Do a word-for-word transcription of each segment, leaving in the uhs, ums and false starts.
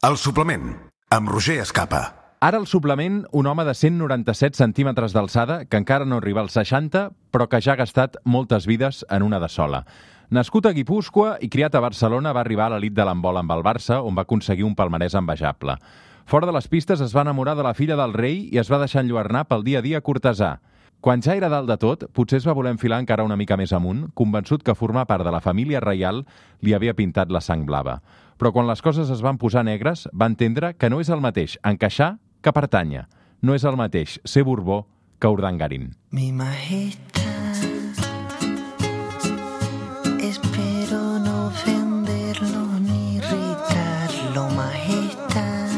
El suplement, amb Roger Escapa. Ara al suplement, un home de cent noranta-set centímetres d'alçada, que encara no arriba als seixanta, però que ja ha gastat moltes vides en una de sola. Nascut a Guipúscoa i criat a Barcelona, va arribar a l'elit de l'handbol amb el Barça, on va aconseguir un palmarès envejable. Fora de les pistes es va enamorar de la filla del rei i es va deixar enlluernar pel dia a dia cortesà. Quan ja era dalt de tot, potser es va voler enfilar encara una mica més amunt, convençut que formar part de la família reial li havia pintat la sang blava. Però quan les coses es van posar negres, va entendre que no és el mateix encaixar que pertànyer. No és el mateix ser Borbó que Urdangarín. Mi majestad, espero no ofenderlo ni irritarlo, majestad,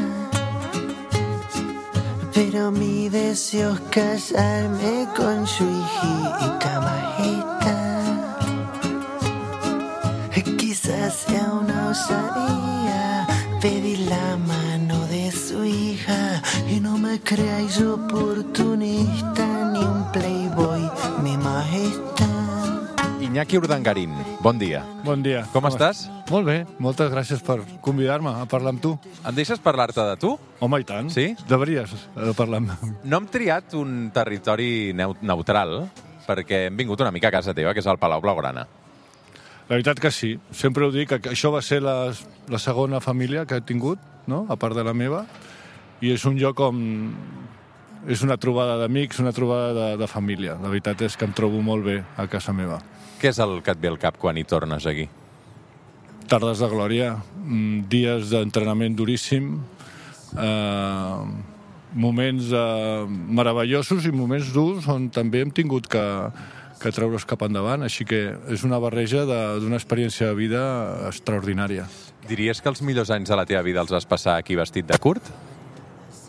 pero mi deseo es casarme con su hijita, majestad. Quizás sea una osadía pedir la mano de su hija y no me creáis oportunista ni un playboy, mi majestad. Iñaki Urdangarín, bon dia. Bon dia. Com, Com estàs? Molt bé, moltes gràcies per convidar-me a parlar amb tu. Em deixes parlar-te de tu? Home, i tant. Sí? Devries de parlar amb mi. No hem triat un territori neu- neutral perquè hem vingut una mica a casa teva, que és el Palau Blaugrana. La veritat que sí. Sempre ho dic, que això va ser la, la segona família que he tingut, no? A part de la meva, i és un lloc on és una trobada d'amics, una trobada de, de família. La veritat és que em trobo molt bé a casa meva. Què és el que et ve al cap quan hi tornes aquí? Tardes de glòria, dies d'entrenament duríssim, eh, moments eh, meravellosos i moments durs on també hem tingut que, que treure's cap endavant, així que és una barreja d'una experiència de vida extraordinària. Diries que els millors anys de la teva vida els vas passar aquí vestit de curt?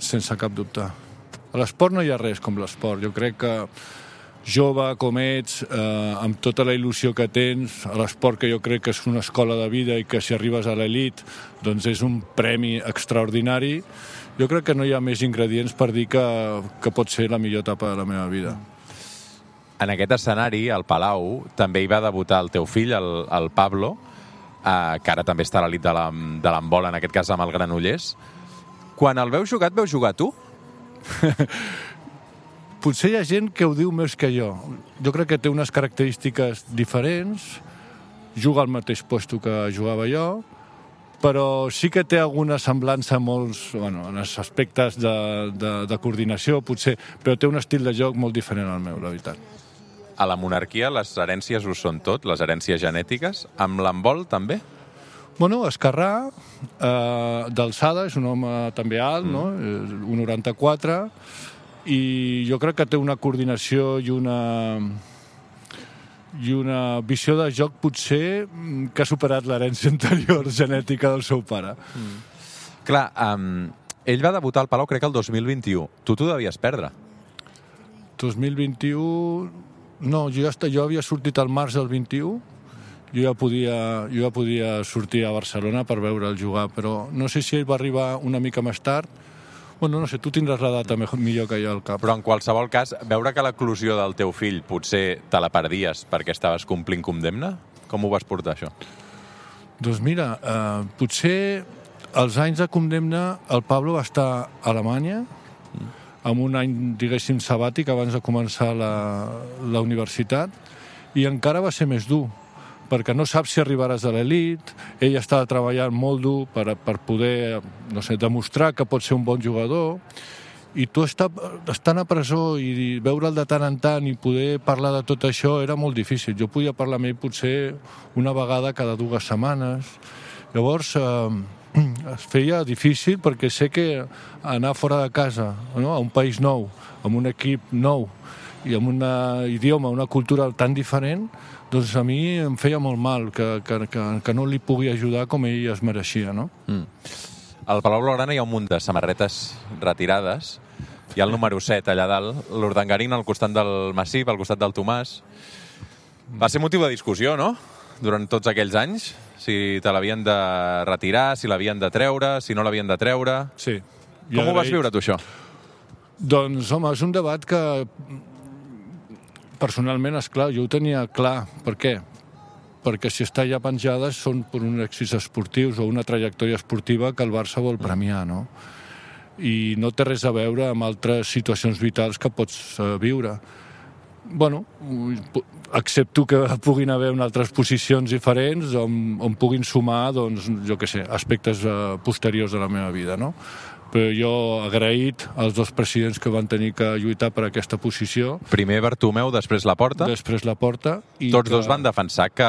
Sense cap dubte. A l'esport no hi ha res com l'esport. Jo crec que jove com ets, eh, amb tota la il·lusió que tens, a l'esport que jo crec que és una escola de vida i que si arribes a l'elit doncs és un premi extraordinari, jo crec que no hi ha més ingredients per dir que, que pot ser la millor etapa de la meva vida. En aquest escenari, al Palau, també hi va debutar el teu fill, el, el Pablo, eh, que ara també està a l'elit de l'handbol, en aquest cas amb el Granollers. Quan el veus jugar, et veus jugar tu? Potser hi ha gent que ho diu més que jo. Jo crec que té unes característiques diferents, juga al mateix puesto que jugava jo, però sí que té alguna semblança a molts, bueno, en els aspectes de, de, de coordinació, potser, però té un estil de joc molt diferent al meu, la veritat. A la monarquia les herències ho són tot, les herències genètiques. Amb l'handbol també? Bueno, Escarrà, eh, d'alçada, és un home també alt, mm. no? un coma noranta-quatre, i jo crec que té una coordinació i una i una visió de joc potser que ha superat l'herència anterior genètica del seu pare. Mm. Clar, um, ell va debutar al Palau crec que el dos mil vint-i-u. Tu t'ho devies perdre. dos mil vint-i-u... No, jo, ja està, jo havia sortit al març del vint-i-u, jo ja, podia, jo ja podia sortir a Barcelona per veure'l jugar, però no sé si ell va arribar una mica més tard. Bueno, no sé, tu tindràs la data millor que jo al cap. Però en qualsevol cas, veure que l'eclosió del teu fill potser te la perdies perquè estaves complint condemna? Com ho vas portar, això? Doncs mira, eh, potser als anys de condemna el Pablo va estar a Alemanya, mm. amb un any, diguéssim, sabàtic abans de començar la, la universitat, i encara va ser més dur, perquè no saps si arribaràs a l'elit, ell estava treballant molt dur per, per poder, no sé, demostrar que pot ser un bon jugador, i tu estar, estant a presó i veure'l de tant en tant i poder parlar de tot això era molt difícil. Jo podia parlar amb ell potser una vegada cada dues setmanes. Llavors eh, es feia difícil perquè sé que anar fora de casa, no? A un país nou, amb un equip nou i amb un idioma, una cultura tan diferent, doncs a mi em feia molt mal que, que, que, que no li pugui ajudar com ell es mereixia, no? Mm. Al Palau Blaugrana hi ha un munt de samarretes retirades. Hi ha el número set allà dalt, l'Urdangarín al costat del Massip, al costat del Tomàs. Va ser motiu de discussió, no?, durant tots aquells anys. Si te l'havien de retirar, si l'havien de treure, si no l'havien de treure. Sí. Com ho vas viure, tu, això? Doncs, home, és un debat que personalment, és clar, jo ho tenia clar. Per què? perquè si està ja penjada són per uns èxits esportius o una trajectòria esportiva que el Barça vol premiar, no? I no té res a veure amb altres situacions vitals que pots uh, viure. Bueno, accepto que puguin haver en altres posicions diferents on, on puguin sumar, doncs, jo què sé, aspectes uh, posteriors de la meva vida, no? Però jo agraït als dos presidents que van tenir que lluitar per aquesta posició. Primer Bartomeu, després Laporta. Després Laporta. I Tots que... dos van defensar que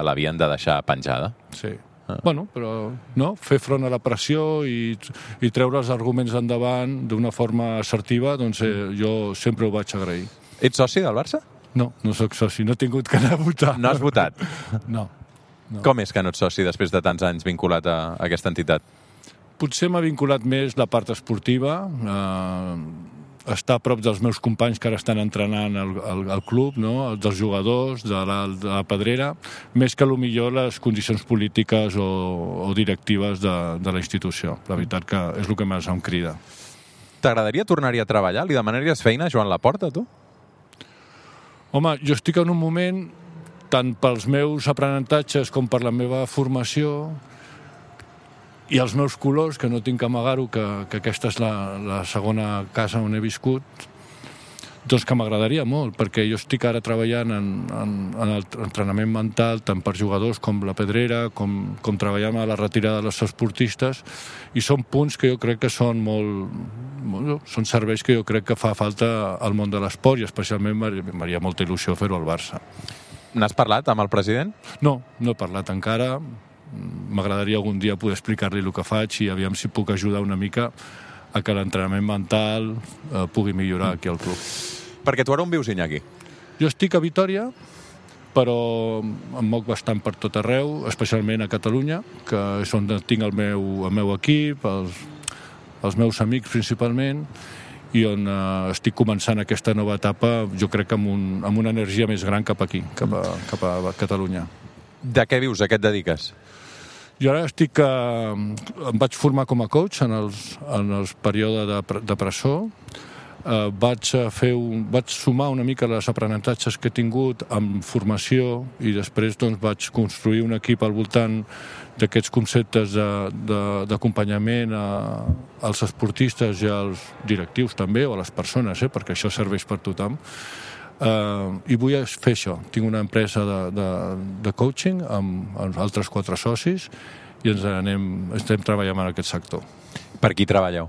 l'havien de deixar penjada. Sí. Ah. Bueno, però no, fer front a la pressió i, i treure els arguments endavant d'una forma assertiva, doncs eh, jo sempre ho vaig agrair. Ets soci del Barça? No, no sóc soci, no he tingut que anar a votar. No has votat? No. no. Com és que no ets soci després de tants anys vinculat a, a aquesta entitat? Potser m'ha vinculat més la part esportiva, eh, estar a prop dels meus companys que ara estan entrenant al, al, al club, no? Dels jugadors, de la, de la pedrera, més que potser les condicions polítiques o, o directives de, de la institució. La veritat que és el que més em crida. T'agradaria tornar-hi a treballar? Li demanaries feina a Joan Laporta, tu? Home, jo estic en un moment, tant pels meus aprenentatges com per la meva formació, i els meus colors, que no tinc que amagar-ho, que, que aquesta és la, la segona casa on he viscut, doncs que m'agradaria molt, perquè jo estic ara treballant en, en, en l'entrenament mental, tant per jugadors com la pedrera, com, com treballant a la retirada dels esportistes, i són punts que jo crec que són molt, molt... són serveis que jo crec que fa falta al món de l'esport, i especialment m'haria molta il·lusió fer-ho al Barça. N'has parlat amb el president? No, no he parlat encara. M'agradaria algun dia poder explicar-li el que faig i aviam si puc ajudar una mica a que l'entrenament mental eh, pugui millorar aquí al club. Perquè tu ara on vius, Iñaki? Jo estic a Vitòria, però em moc bastant per tot arreu, especialment a Catalunya, que és on tinc el meu, el meu equip, els, els meus amics principalment, i on eh, estic començant aquesta nova etapa, jo crec que amb, un, amb una energia més gran cap aquí, cap a, cap a Catalunya. De què vius? A què et dediques? Jo ara estic... Eh, em vaig formar com a coach en els, en els períodes de, de presó. Eh, vaig, fer un, vaig sumar una mica les aprenentatges que he tingut amb formació i després doncs, vaig construir un equip al voltant d'aquests conceptes d'acompanyament als esportistes i als directius també, o a les persones, eh, perquè això serveix per tothom. Uh, i vull fer això. Tinc una empresa de, de, de coaching amb, amb altres quatre socis i ens anem, estem treballant en aquest sector. Per qui treballeu?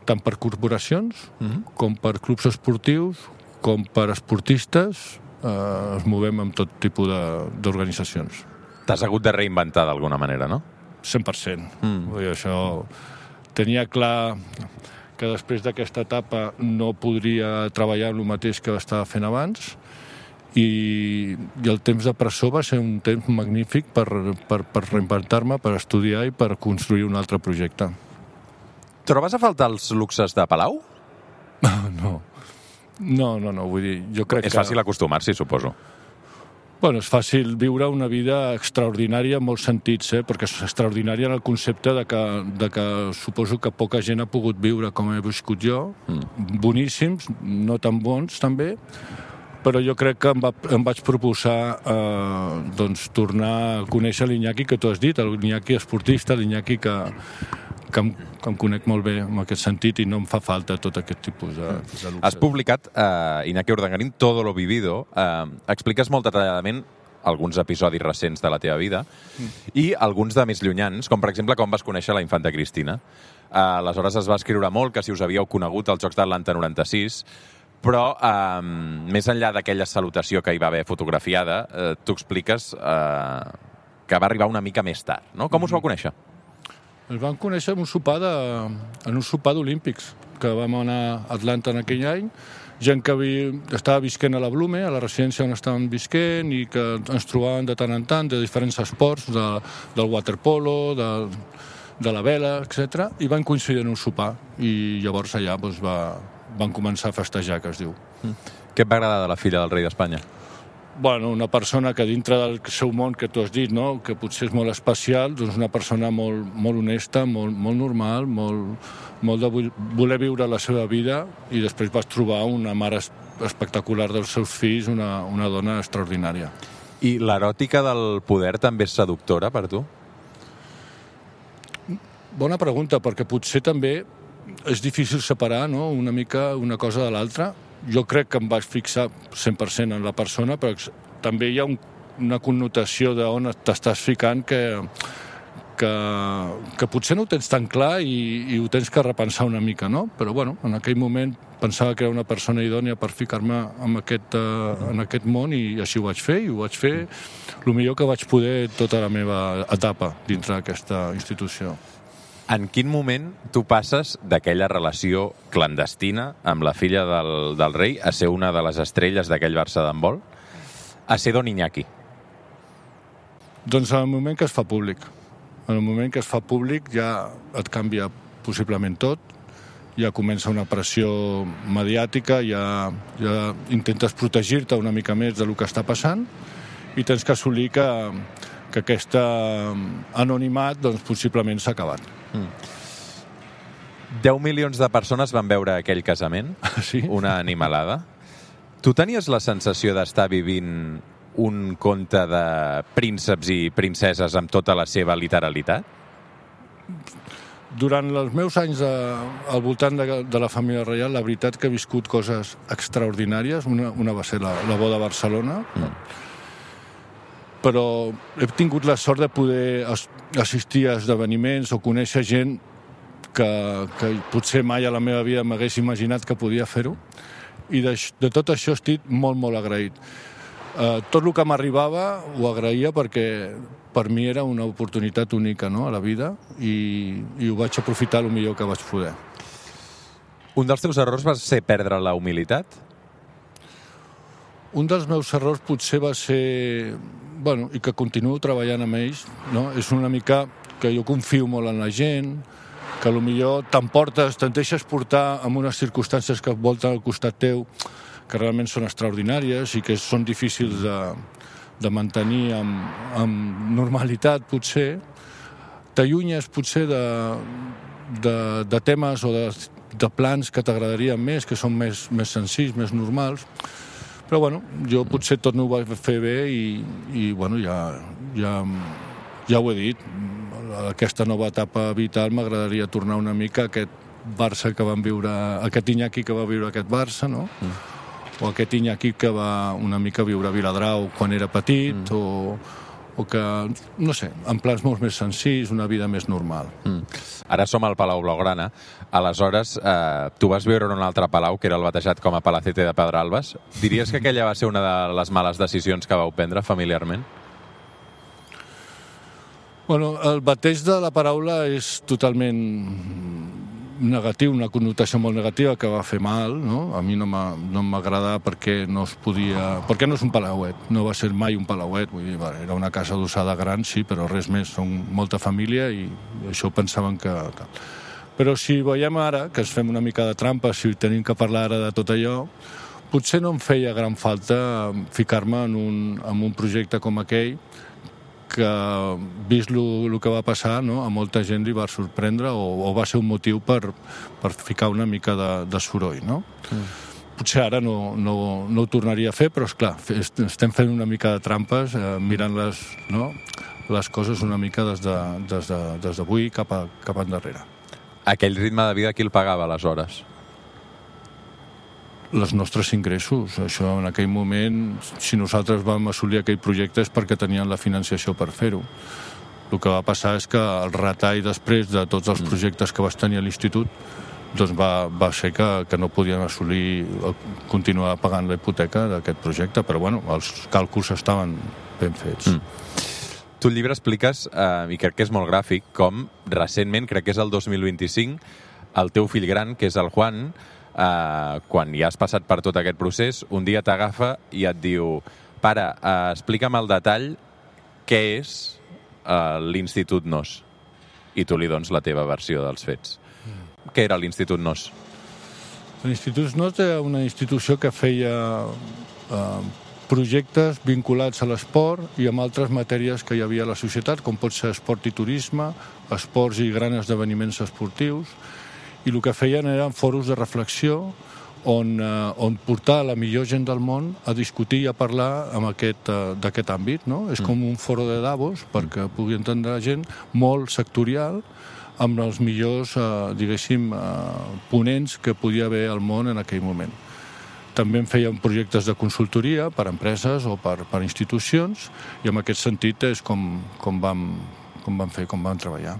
Tant per corporacions, Mm-hmm. com per clubs esportius, com per esportistes, uh, ens movem amb tot tipus d'organitzacions. T'has hagut de reinventar d'alguna manera, no? cent per cent. Mm. Vull dir, això tenia clar que després d'aquesta etapa no podria treballar en el mateix que estava fent abans i, i el temps de presó va ser un temps magnífic per, per, per reinventar-me, per estudiar i per construir un altre projecte. Trobes a faltar els luxes de Palau? No, no, no, no vull dir, jo crec És que... fàcil acostumar-s'hi, suposo. Bueno, és fàcil viure una vida extraordinària en molts sentits, eh? Perquè és extraordinària en el concepte de que, de que suposo que poca gent ha pogut viure com he viscut jo, mm. boníssims, no tan bons també, però jo crec que em, va, em vaig proposar eh, doncs, tornar a conèixer l'Iñaki que tu has dit, l'Iñaki esportista, l'Iñaki que, que, em, que em conec molt bé en aquest sentit i no em fa falta tot aquest tipus de, de luxe. Has publicat, eh, Iñaki Urdangarín, Todo lo vivido. Eh, expliques molt detalladament alguns episodis recents de la teva vida mm. i alguns de més llunyans, com per exemple com vas conèixer la infanta Cristina. Eh, aleshores es va escriure molt que si us havíeu conegut als Jocs d'Atlanta noranta-sis, però eh, més enllà d'aquella salutació que hi va haver fotografiada, eh, tu expliques eh, que va arribar una mica més tard, no? Com us vau conèixer? Ens vam conèixer en un sopar de, en un sopar d'Olímpics, que vam anar a Atlanta en aquell any, gent que vi, estava visquent a la Blume, a la residència on estàvem visquent, i que ens trobaven de tant en tant de diferents esports, de, del waterpolo, de, de la vela, etcètera, i van coincidir en un sopar, i llavors allà doncs, va, van començar a festejar, que es diu. Què et va agradar de la filla del rei d'Espanya? Bueno, una persona que dintre del seu món que tu has dit, no? Que potser és molt especial, doncs una persona molt, molt honesta, molt, molt normal, molt, molt de voler viure la seva vida, i després vas trobar una mare espectacular dels seus fills, una, una dona extraordinària. I l'eròtica del poder també és seductora per tu? Bona pregunta, perquè potser també és difícil separar, no?, una mica una cosa de l'altra. Jo crec que em vaig fixar cent per cent en la persona, però també hi ha un, una connotació d'on t'estàs ficant que, que, que potser no ho tens tan clar i, i ho tens que repensar una mica, no? Però, bueno, en aquell moment pensava que era una persona idònia per ficar-me en aquest, uh, en aquest món i així ho vaig fer, i ho vaig fer el millor que vaig poder tota la meva etapa dintre d'aquesta institució. En quin moment tu passes d'aquella relació clandestina amb la filla del, del rei a ser una de les estrelles d'aquell Barça d'handbol, a ser Don Iñaki? Doncs en el moment que es fa públic. En el moment que es fa públic ja et canvia possiblement tot, ja comença una pressió mediàtica, ja, ja intentes protegir-te una mica més del que està passant i tens que assolir que, que aquest anonimat doncs, possiblement s'ha acabat. Mm. deu milions de persones van veure aquell casament, sí? Una animalada. Tu tenies la sensació d'estar vivint un conte de prínceps i princeses amb tota la seva literalitat? Durant els meus anys de, al voltant de, de la família reial, la veritat que he viscut coses extraordinàries. Una, una va ser la, la boda a Barcelona, mm. però he tingut la sort de poder assistir a esdeveniments o conèixer gent que, que potser mai a la meva vida m'hagués imaginat que podia fer-ho, i de, de tot això estic molt, molt agraït. Uh, tot el que m'arribava ho agraïa perquè per mi era una oportunitat única, no?, a la vida, i, i ho vaig aprofitar el millor que vaig poder. Un dels teus errors va ser perdre la humilitat? Un dels meus errors potser va ser, bueno, i que continuo treballant amb ells, no?, és una mica que jo confio molt en la gent, que potser t'emportes, te'n deixes portar en unes circumstàncies que et volten al costat teu, que realment són extraordinàries i que són difícils de, de mantenir amb, amb normalitat, potser. T'allunyes, potser, de, de, de temes o de, de plans que t'agradarien més, que són més, més senzills, més normals. Però, bueno, jo potser tot no ho vaig fer bé i, i bueno, ja, ja, ja ho he dit. Aquesta nova etapa vital m'agradaria tornar una mica a aquest Barça que van viure, aquest Iñaki que va viure aquest Barça, no? Mm. O aquest Iñaki que va una mica viure a Viladrau quan era petit, mm. o, o que, no sé, en plans molt més senzills, una vida més normal. Mm. Ara som al Palau Blaugrana. Aleshores, eh, tu vas viure en un altre palau, que era el batejat com a Palacete de Pedralbes. Diries que aquella va ser una de les males decisions que vau prendre familiarment? Bueno, el bateig de la paraula és totalment negatiu, una connotació molt negativa que va fer mal, no? A mi no m'agrada perquè no es podia... Perquè no és un palauet, no va ser mai un palauet, vull dir, era una casa adossada gran, sí, però res més, són molta família i això pensaven que... Però si veiem ara, que es fem una mica de trampa, si tenim que parlar ara de tot allò, potser no em feia gran falta ficar-me en un, en un projecte com aquell, que, vist el que va passar, no?, a molta gent li va sorprendre o, o va ser un motiu per, per ficar una mica de, de soroll, no? Mm. Potser ara no, no, no ho tornaria a fer, però, esclar, estem fent una mica de trampes, eh, mirant les, no?, les coses una mica des de, des de, des d'avui cap, a, cap endarrere. Aquell ritme de vida qui el pagava, aleshores? Els nostres ingressos. Això, en aquell moment, si nosaltres vam assolir aquell projecte és perquè tenien la financiació per fer-ho. El que va passar és que el retall després de tots els projectes que vas tenir a l'institut doncs va, va ser que, que no podien assolir, continuar pagant la hipoteca d'aquest projecte, però bueno, els càlculs estaven ben fets. Mm. Tu al llibre expliques, eh, i crec que és molt gràfic, com recentment, crec que és el dos mil vint-i-cinc, el teu fill gran, que és el Juan, Uh, quan ja has passat per tot aquest procés, un dia t'agafa i et diu: pare, uh, explica'm al detall què és uh, l'Institut Nos. I tu li dones la teva versió dels fets. Mm. Què era l'Institut Nos? L'Institut Nos era una institució que feia uh, projectes vinculats a l'esport i amb altres matèries que hi havia a la societat, com pot ser esport i turisme, esports i grans esdeveniments esportius, i el que feien eren foros de reflexió on, uh, on portar la millor gent del món a discutir i a parlar amb aquest, uh, d'aquest àmbit, no? És com un foro de Davos perquè pugui entendre la gent, molt sectorial, amb els millors, uh, diguéssim, uh, ponents que podia haver al món en aquell moment. També en fèiem projectes de consultoria per empreses o per, per institucions, i en aquest sentit és com, com, vam, com vam fer, com vam treballar.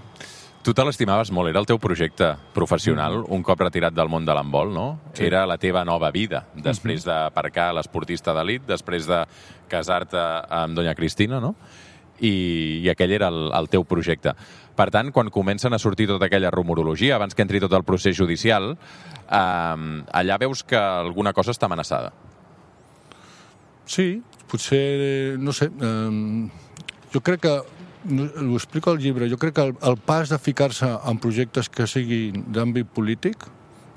Tu te l'estimaves molt, era el teu projecte professional, un cop retirat del món de l'handbol, no? Sí. Era la teva nova vida, després uh-huh. d'aparcar l'esportista d'elit, després de casar-te amb Doña Cristina, no? I, i aquell era el, el teu projecte. Per tant, quan comencen a sortir tota aquella rumorologia, abans que entri tot el procés judicial, eh, allà veus que alguna cosa està amenaçada. Sí, potser, no sé, eh, jo crec que ho explico al llibre, jo crec que el, el pas de ficar-se en projectes que siguin d'àmbit polític,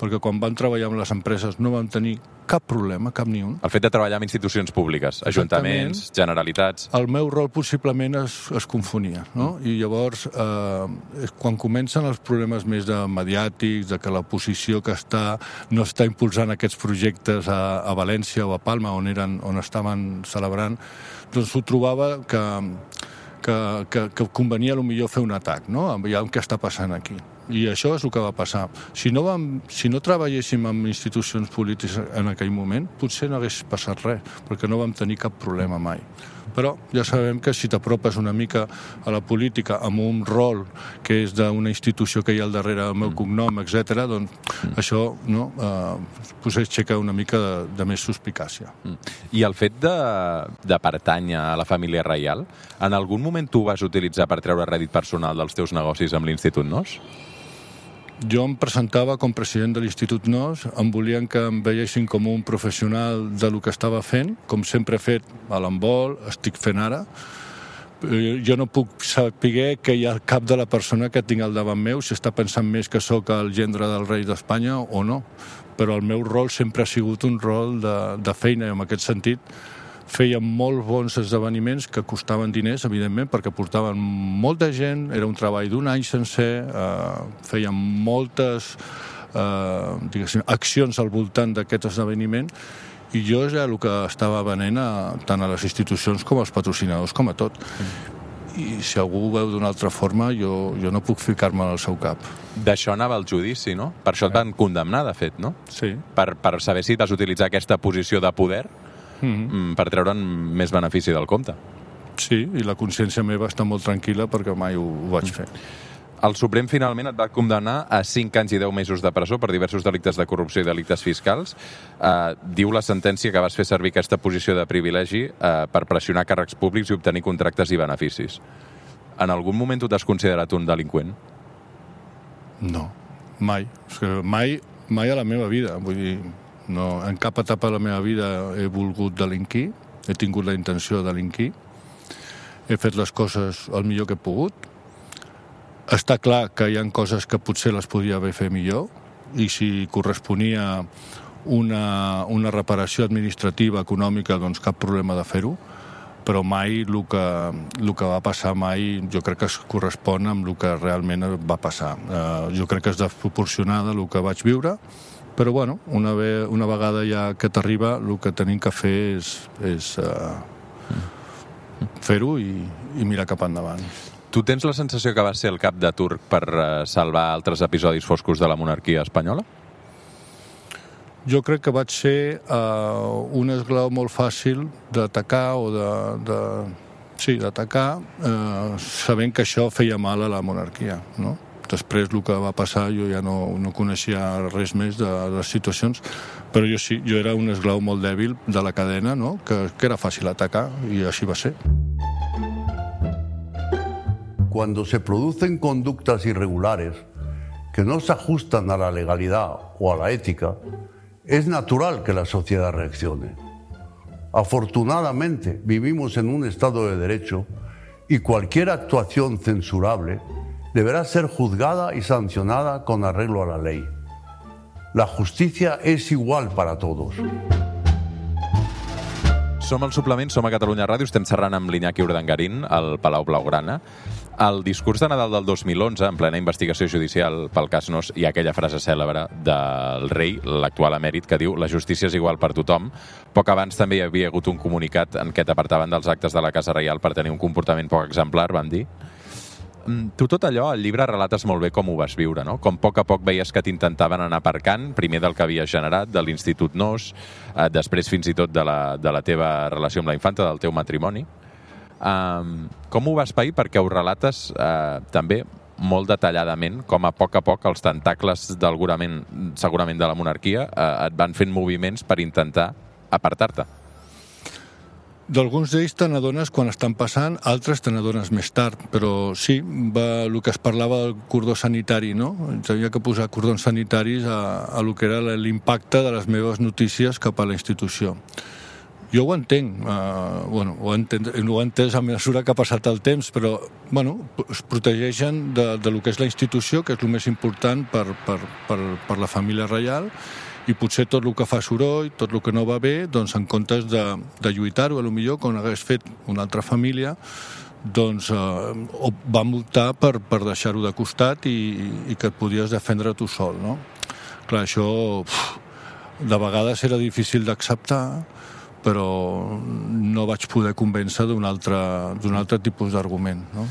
perquè quan vam treballar amb les empreses no vam tenir cap problema, cap ni un. El fet de treballar amb institucions públiques, ajuntaments, generalitats... El meu rol possiblement es, es confonia, no? Mm. I llavors, eh, quan comencen els problemes més de mediàtics, de que la posició que està no està impulsant aquests projectes a, a València o a Palma, on, eren, on estaven celebrant, doncs ho trobava que... Que, que, que convenia potser fer un atac, no? Aviam què està passant aquí. I això és el que va passar. Si no, vam, si no treballéssim amb institucions polítiques en aquell moment, potser no hagués passat res, perquè no vam tenir cap problema mai. Però ja sabem que si t'apropes una mica a la política amb un rol que és d'una institució que hi ha al darrere del meu cognom, etcètera, doncs mm. això no, eh, potser aixeca una mica de, de més suspicàcia. Mm. I el fet de, de pertànyer a la família reial, en algun moment tu vas utilitzar per treure rèdit personal dels teus negocis amb l'Institut Nos? Jo em presentava com president de l'Institut Nos, em volien que em veiessin com un professional de lo que estava fent, com sempre he fet a l'handbol, estic fent ara. Jo no puc saber que hi ha el cap de la persona que tinc al davant meu, si està pensant més que sóc el gendre del rei d'Espanya o no. Però el meu rol sempre ha sigut un rol de, de feina, i en aquest sentit fèiem molt bons esdeveniments que costaven diners, evidentment, perquè portaven molta gent, era un treball d'un any sencer, eh, fèiem moltes eh, diguéssim, accions al voltant d'aquest esdeveniment, i jo ja el que estava venent a, tant a les institucions com als patrocinadors, com a tot. I si algú ho veu d'una altra forma, jo, jo no puc ficar-me al seu cap. D'això anava el judici, no? Per això et van condemnar, de fet, no? Sí. Per, per saber si vas utilitzar aquesta posició de poder Mm-hmm. per treure'n més benefici del compte. Sí, i la consciència meva està molt tranquil·la perquè mai ho, ho vaig fer. El Suprem finalment et va condemnar a cinc anys i deu mesos de presó per diversos delictes de corrupció i delictes fiscals. Uh, diu la sentència que vas fer servir aquesta posició de privilegi uh, per pressionar càrrecs públics i obtenir contractes i beneficis. En algun moment tu t'has considerat un delinqüent? No, mai. És que mai, mai a la meva vida. Vull dir, no, en cap etapa de la meva vida he volgut delinquir, he tingut la intenció de delinquir, he fet les coses el millor que he pogut. Està clar que hi ha coses que potser les podia haver fet millor, i si corresponia una, una reparació administrativa, econòmica, doncs cap problema de fer-ho, però mai el que, el que va passar mai jo crec que es correspon amb el que realment va passar. Eh, jo crec que és desproporcionada el que vaig viure, però bueno, una, ve, una vegada ja que t'arriba, el que tenim que fer és, és uh, fer-ho i, i mirar cap endavant. Tu tens la sensació que vas ser el cap de turc per uh, salvar altres episodis foscos de la monarquia espanyola? Jo crec que vaig ser uh, un esglau molt fàcil d'atacar o de... de sí, d'atacar, uh, sabent que això feia mal a la monarquia, no? Després, el que va passar, jo ja no, no coneixia res més de, de les situacions, però jo sí, jo era un esglau molt dèbil de la cadena, no? que, que era fàcil atacar, i així va ser. Cuando se producen conductas irregulares que no se ajustan a la legalidad o a la ética, es natural que la sociedad reaccione. Afortunadamente, vivimos en un Estado de Derecho y cualquier actuación censurable deberá ser juzgada y sancionada con arreglo a la ley. La justicia es igual para todos. Som al suplement, som a Catalunya Ràdio, estem xerrant amb l'Iñaki Urdangarín, al Palau Blaugrana. El discurs de Nadal del dos mil onze, en plena investigació judicial pel cas Nóos, hi ha aquella frase cèlebre del rei, l'actual emèrit, que diu «La justícia és igual per tothom». Poc abans també hi havia hagut un comunicat en què t'apartaven dels actes de la Casa Reial per tenir un comportament poc exemplar, van dir. Tu tot allò, al llibre, relates molt bé com ho vas viure, no? Com a poc a poc veies que t'intentaven anar aparcant, primer del que havies generat, de l'Institut Nóos, eh, després fins i tot de la, de la teva relació amb la infanta, del teu matrimoni. Um, com ho vas pair? Perquè ho relates uh, també molt detalladament, com a poc a poc els tentacles d'algurament, segurament de la monarquia uh, et van fent moviments per intentar apartar-te. D'alguns d'ells te n'adones quan estan passant, altres te n'adones més tard, però sí, va, el que es parlava del cordó sanitari, no? Ens havia que posar cordons sanitaris a, a lo que era l'impacte de les meves notícies cap a la institució. Jo ho entenc, uh, bueno, ho, entenc, ho he entès a mesura que ha passat el temps, però bueno, es protegeixen de, de lo que és la institució, que és el més important per, per, per, per la família reial, i potser tot el que fa soroll, tot el que no va bé, doncs en comptes de, de lluitar-ho, potser quan hagués fet una altra família, doncs eh, vam optar per, per deixar-ho de costat i, i que et podies defendre tu sol, no? Clar, això uf, de vegades era difícil d'acceptar, però no vaig poder convèncer d'un altre, d'un altre tipus d'argument, no?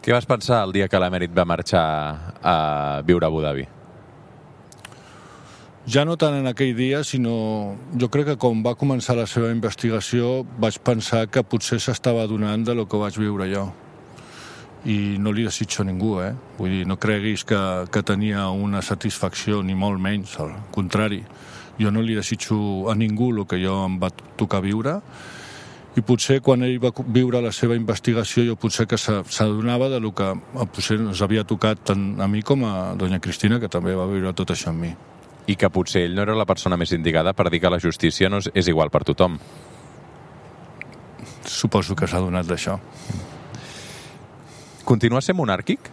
Què vas pensar el dia que l'emèrit va marxar a viure a Abu Dhabi? Ja no tant en aquell dia, sinó jo crec que quan va començar la seva investigació vaig pensar que potser s'estava adonant de lo que vaig viure jo. I no li desitjo a ningú, eh? Vull dir, no creguis que, que tenia una satisfacció, ni molt menys, al contrari. Jo no li desitjo a ningú el que jo em va tocar viure, i potser quan ell va viure la seva investigació jo potser que s'adonava de lo que potser ens havia tocat tant a mi com a doña Cristina, que també va viure tot això amb mi. I que potser ell no era la persona més indicada per dir que la justícia no és, és igual per tothom. Suposo que s'ha adonat d'això. Continua sent monàrquic?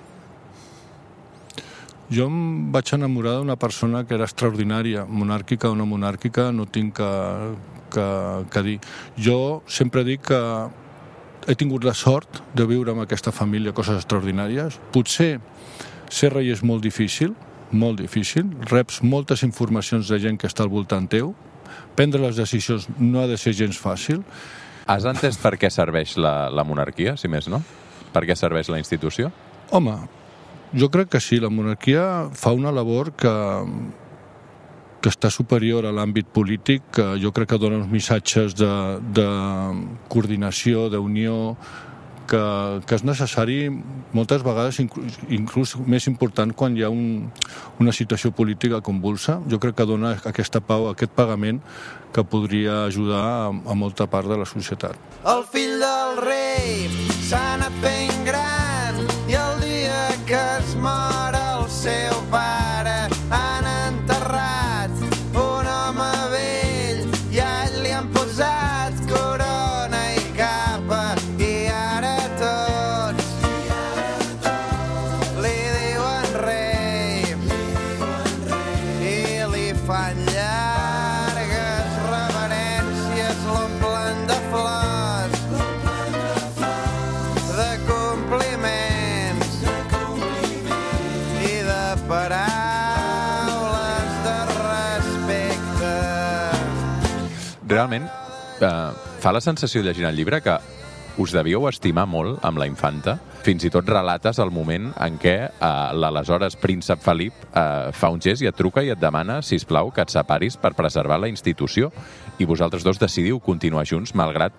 Jo em vaig enamorar d'una persona que era extraordinària, monàrquica o no monàrquica, no tinc que, que, que dir. Jo sempre dic que he tingut la sort de viure amb aquesta família coses extraordinàries. Potser ser rei és molt difícil, molt difícil, reps moltes informacions de gent que està al voltant teu, prendre les decisions no ha de ser gens fàcil. Has entès per què serveix la, la monarquia, si més no? Per què serveix la institució? Home, jo crec que sí, la monarquia fa una labor que, que està superior a l'àmbit polític, que jo crec que dona uns missatges de, de coordinació, d'unió, que, que és necessari moltes vegades, inclús, inclús més important quan hi ha un, una situació política convulsa. Jo crec que dona aquesta pau, aquest pagament que podria ajudar a, a molta part de la societat. El fill del rei s'ha anat fent gran i el dia que es mor el seu pare han enterrat un home vell i a ell li han posat corona i capa i ara tots li diuen rei i li fan llargues reverències, l'omplen de flors, de compliments i de paraules de respecte. Realment, eh, fa la sensació llegint el llibre que us devíeu estimar molt amb la infanta. Fins i tot relates el moment en què eh, l'aleshores príncep Felip eh, fa un gest i et truca i et demana, sisplau, que et separis per preservar la institució. I vosaltres dos decidiu continuar junts malgrat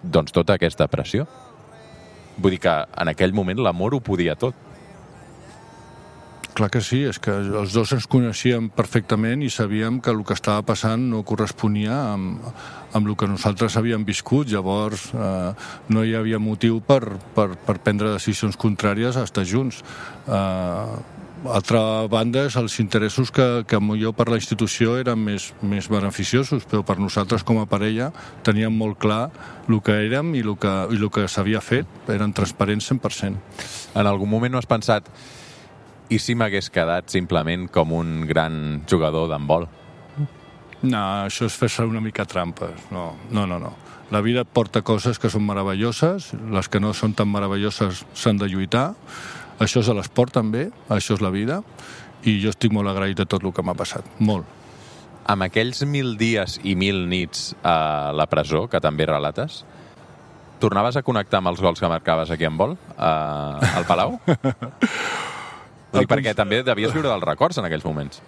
doncs, tota aquesta pressió. Vull dir que en aquell moment l'amor ho podia tot. Clar que sí, és que els dos ens coneixíem perfectament i sabíem que el que estava passant no corresponia amb, amb el que nosaltres havíem viscut. Llavors eh, no hi havia motiu per, per, per prendre decisions contràries a estar junts. Eh, altra banda, els interessos que, que jo per la institució eren més, més beneficiosos, però per nosaltres com a parella teníem molt clar el que érem i el que, i el que s'havia fet. Eren transparents cent per cent. En algun moment no has pensat i si m'hagués quedat simplement com un gran jugador d'handbol? No, això és fer-se una mica trampes. No, no, no, no. La vida et porta coses que són meravelloses, les que no són tan meravelloses s'han de lluitar. Això és a l'esport també, això és la vida, i jo estic molt agraït de tot el que m'ha passat, molt. Amb aquells mil dies i mil nits a la presó, que també relates, tornaves a connectar amb els gols que marcaves aquí en vol, uh, al Palau? Dic, perquè també devies viure dels records en aquells moments.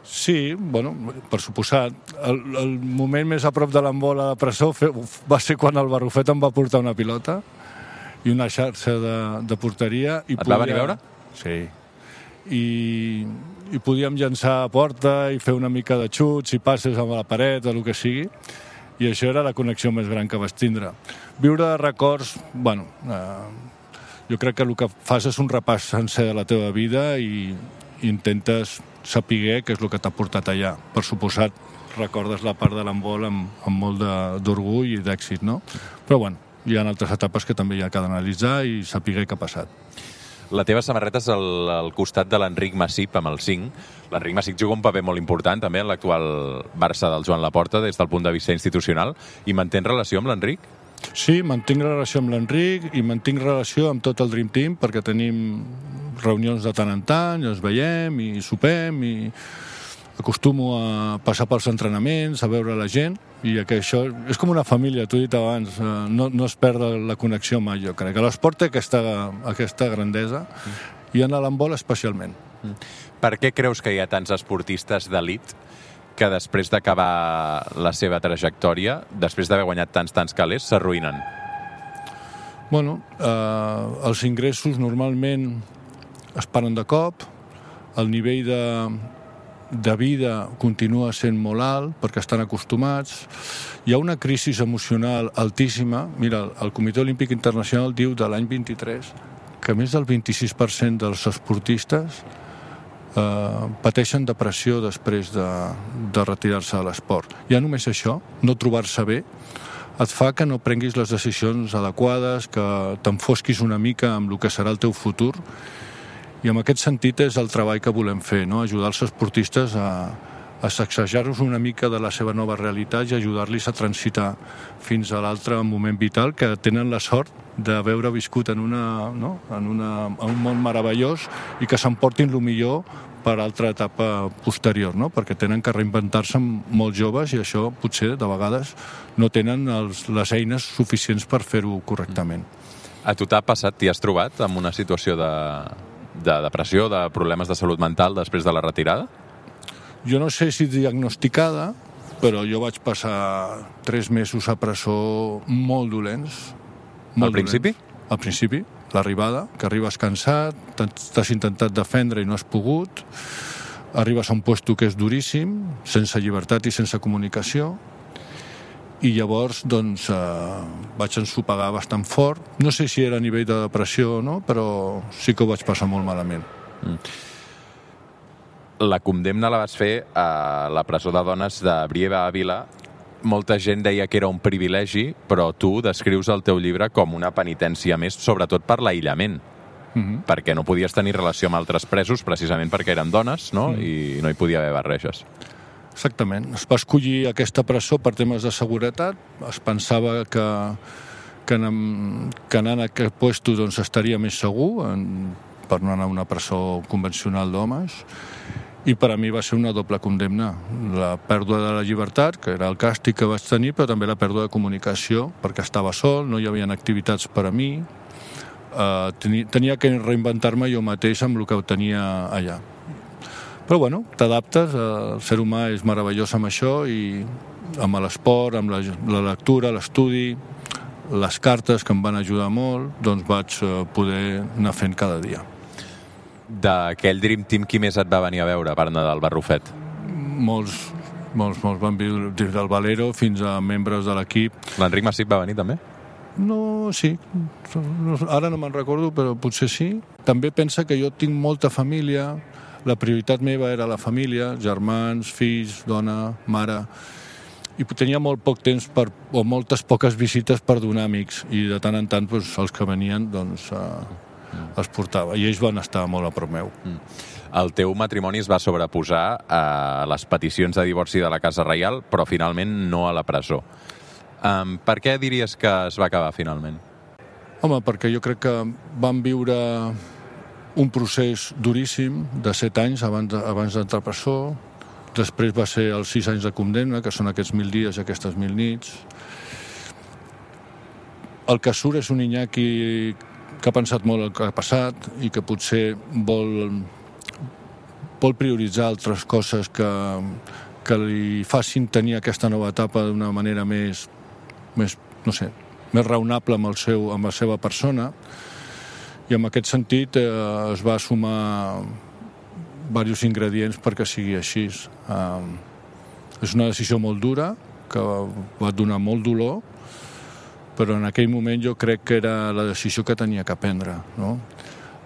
Sí, bueno, per suposat. El, el moment més a prop de l'embol a la presó va ser quan el Barrufet em va portar una pilota i una xarxa de, de porteria. I Et podia... va venir a veure? Sí. I, I podíem llançar a porta i fer una mica de xuts i passes amb la paret o el que sigui. I això era la connexió més gran que vas tindre. Viure de records, bueno, eh, jo crec que el que fas és un repàs sencer de la teva vida i, i intentes saber què és el que t'ha portat allà. Per suposat, recordes la part de l'embol amb, amb molt d'orgull i d'èxit, no? Però, bueno, hi ha altres etapes que també hi ha que analitzar i saber què ha passat. La teva samarreta és al, al costat de l'Enric Massip amb el cinc. L'Enric Massip juga un paper molt important també en l'actual Barça del Joan Laporta des del punt de vista institucional. I mantens relació amb l'Enric? Sí, mantinc relació amb l'Enric i mantinc relació amb tot el Dream Team perquè tenim reunions de tant en tant, ens veiem i sopem i acostumo a passar pels entrenaments, a veure la gent i que això és com una família, t'ho he dit abans, no, no es perd la connexió mai, jo crec. L'esport té aquesta, aquesta grandesa i en l'handbol especialment. Per què creus que hi ha tants esportistes d'elit que després d'acabar la seva trajectòria, després d'haver guanyat tants, tants calés, s'arruïnen? Bueno, eh, els ingressos normalment es paren de cop, el nivell de, de vida continua sent molt alt perquè estan acostumats, hi ha una crisi emocional altíssima. Mira, el Comitè Olímpic Internacional diu de l'any vint-i-tres que més del vint-i-sis per cent dels esportistes eh, pateixen depressió després de, de retirar-se de l'esport. Ja només això, no trobar-se bé, et fa que no prenguis les decisions adequades, que t'enfosquis una mica amb el que serà el teu futur. I en aquest sentit és el treball que volem fer, no? Ajudar els esportistes a, a sacsejar-los una mica de la seva nova realitat i ajudar-los a transitar fins a l'altre moment vital, que tenen la sort d'haver viscut en, una, no? en, una, en un món meravellós i que s'emportin el millor per altra etapa posterior, no? Perquè tenen que reinventar-se molt joves i això potser de vegades no tenen els, les eines suficients per fer-ho correctament. A tu t'ha passat, t'hi has trobat amb una situació de, de depressió, de problemes de salut mental després de la retirada? Jo no sé si diagnosticada, però jo vaig passar tres mesos a presó molt dolents. Molt Al principi? Dolents. Al principi, l'arribada, que arribes cansat, t'has intentat defendre i no has pogut, arribes a un puesto que és duríssim, sense llibertat i sense comunicació, i llavors doncs, eh, vaig ensopegar bastant fort. No sé si era a nivell de depressió o no, però sí que ho vaig passar molt malament. Mm. La condemna la vas fer a la presó de dones de Brieva Ávila. Molta gent deia que era un privilegi, però tu descrius el teu llibre com una penitència més, sobretot per l'aïllament. Mm-hmm. Perquè no podies tenir relació amb altres presos, precisament perquè eren dones, no? Mm. I no hi podia haver barreges. Exactament. Es va escollir aquesta presó per temes de seguretat. Es pensava que, que, anant, que anant a aquest puesto doncs, estaria més segur en, per no anar a una presó convencional d'homes. I per a mi va ser una doble condemna. La pèrdua de la llibertat, que era el càstig que vaig tenir, però també la pèrdua de comunicació, perquè estava sol, no hi havia activitats per a mi. Uh, tenia, tenia que reinventar-me jo mateix amb el que tenia allà. Però bueno, t'adaptes, el ser humà és meravellós amb això i amb l'esport, amb la, la lectura, l'estudi, les cartes que em van ajudar molt, doncs vaig poder anar fent cada dia. D'aquell Dream Team, qui més et va venir a veure per anar del Barrufet? Molts, molts, molts van viure des del Valero fins a membres de l'equip. L'Enric Massip va venir també? No, sí. Ara no me'n recordo, però potser sí. També pensa que jo tinc molta família, la prioritat meva era la família, germans, fills, dona, mare, i tenia molt poc temps per, o moltes poques visites per donar amics, i de tant en tant doncs, els que venien doncs, eh, els portava, i ells van estar molt a prop meu. Mm. El teu matrimoni es va sobreposar a les peticions de divorci de la Casa Reial, però finalment no a la presó. Um, per què diries que es va acabar finalment? Home, perquè jo crec que vam viure un procés duríssim de set anys abans, abans d'entrar a presó. Després va ser els sis anys de condemna, que són aquests mil dies i aquestes mil nits. El que surt és un Iñaki que ha pensat molt el que ha passat i que potser vol, vol prioritzar altres coses que, que li facin tenir aquesta nova etapa d'una manera més, més, no sé, més raonable amb, el seu, amb la seva persona. I en aquest sentit eh, es va sumar diversos ingredients perquè sigui així. Eh, és una decisió molt dura, que va donar molt dolor, però en aquell moment jo crec que era la decisió que tenia que prendre, no?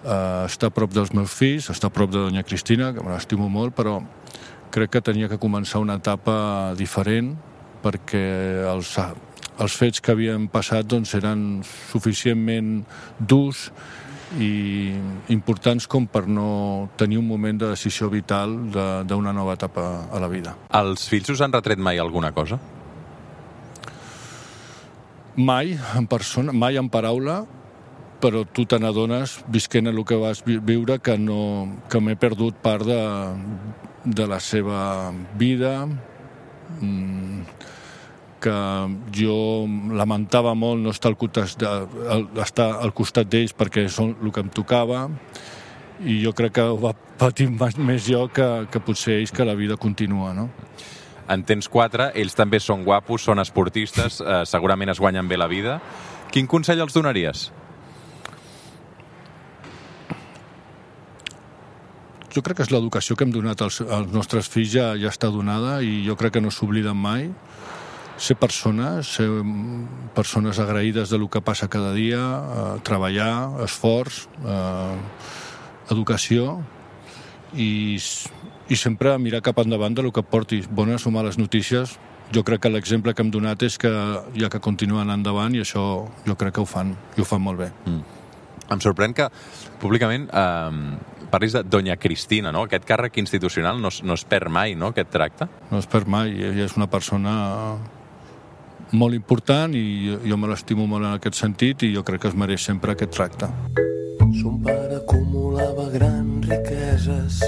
Eh, estar a prop dels meus fills, estar a prop de Doña Cristina, que me l'estimo molt, però crec que tenia que començar una etapa diferent perquè els, els fets que havien passat doncs, eren suficientment durs i importants com per no tenir un moment de decisió vital d'una nova etapa a la vida. Els fills us han retret mai alguna cosa? Mai en persona, mai en paraula, però tu te n'adones, visquent el que vas viure, que, no, que m'he perdut part de, de la seva vida, que jo lamentava molt no estar al costat, estar al costat d'ells perquè són el que em tocava, i jo crec que ho va patir més jo que, que potser ells, que la vida continua, no? En tens quatre, ells també són guapos, són esportistes, eh, segurament es guanyen bé la vida. Quin consell els donaries? Jo crec que és l'educació que hem donat als, als nostres fills ja, ja està donada, i jo crec que no s'obliden mai. Ser persones, ser persones agraïdes de lo que passa cada dia, eh, treballar, esforç, eh, educació, i, i sempre mirar cap endavant de lo que portis, bones o males notícies. Jo crec que l'exemple que hem donat és que hi ha que continuar endavant, i això jo crec que ho fan, i ho fan molt bé. Mm. Em sorprèn que públicament eh, parlis de Doña Cristina, no? Aquest càrrec institucional no, no es perd mai, no?, aquest tracte? No es perd mai, ella és una persona molt important i jo me l'estimo molt en aquest sentit, i jo crec que es mereix sempre aquest tracte. Son pare acumulava grans riqueses.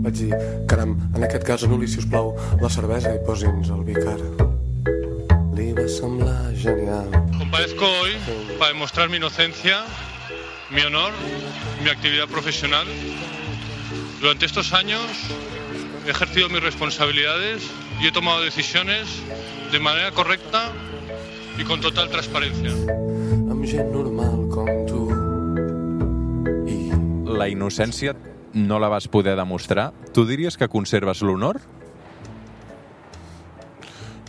Vaig dir, caram, en aquest cas anul·li, si us plau, la cervesa i posi'ns el vi cara. Li va semblar genial. Comparezco hoy para demostrar mi inocencia, mi honor, mi actividad profesional. Durante estos años he ejercido mis responsabilidades y he tomado decisiones de manera correcta y con total transparencia. Amb gent normal com tu. I... La innocència no la vas poder demostrar. Tu diries que conserves l'honor?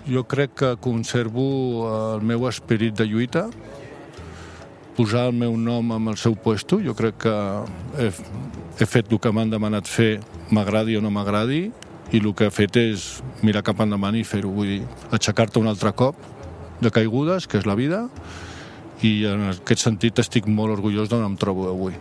Jo crec que conservo el meu esperit de lluita, posar el meu nom amb el seu puesto. Jo crec que he, he fet el que m'han demanat fer, m'agradi o no m'agradi, i el que he fet és mirar cap endavant i fer-ho. Vull dir, aixecar-te un altre cop de caigudes, que és la vida, i en aquest sentit estic molt orgullós d'on em trobo avui.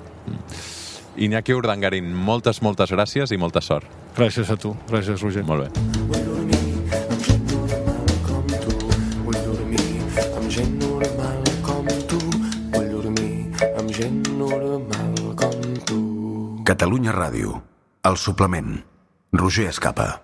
Iñaki Urdangarín, moltes, moltes gràcies i molta sort. Gràcies a tu. Gràcies, Roger. Molt bé. Vull dormir amb gent normal com tu. Vull dormir amb gent normal com tu. Vull dormir amb gent normal com tu. Catalunya Ràdio. El suplement. Roger Escapa.